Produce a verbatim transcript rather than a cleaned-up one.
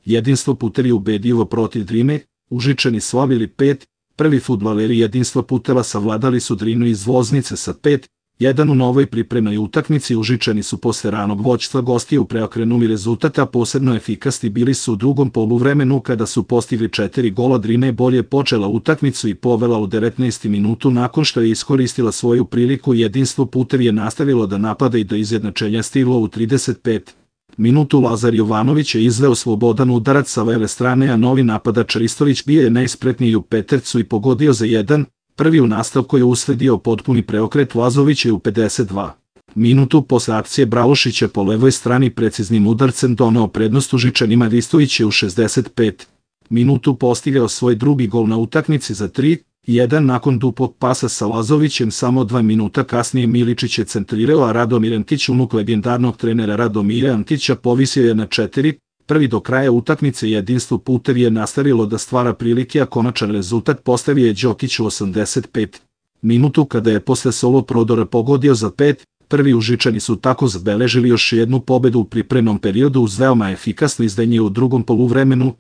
Jedinstvo Puter je ubedljivo protiv Drine, Užičani slavili pet, prvi fudbaleri Jedinstva Puteva savladali su Drinu iz Loznice sa pet jedan u novoj pripremnoj utakmici. Užičani su posle ranog vođstva gostiju preokrenuli rezultat, a posebno efikasni bili su u drugom poluvremenu kada su postigli četiri gola. Drina je bolje počela utakmicu i povela u devetnaestom minutu nakon što je iskoristila svoju priliku. Jedinstvo Puter je nastavilo da napada i do izjednačenja stiglo u trideset pet minutu. Lazar Jovanović je izveo slobodan udarac sa leve strane, a novi napadač Ristović bio je najspretniji u petercu i pogodio za jedan. Prvi u nastavku je usledio potpuni preokret. Lazović je u pedeset dva minutu posle akcije Bralošića po levoj strani preciznim udarcem doneo prednost Užičanima. Ristović je u šezdeset pet minutu postigao svoj drugi gol na utakmici za tri jedan nakon duplog pasa sa Lazovićem. Samo dva minuta kasnije Miličić je centrirao, a Radomir Antić, unuk legendarnog trenera Radomira Antića, povisio je na četiri. Prvi do kraja utakmice. Jedinstvo Puter je nastavilo da stvara prilike, a konačan rezultat postavio je Đokić u osamdeset pet minutu kada je posle solo prodora pogodio za pet. Prvi Užičani su tako zabeležili još jednu pobedu u pripremnom periodu uz veoma efikasno izdanje u drugom poluvremenu.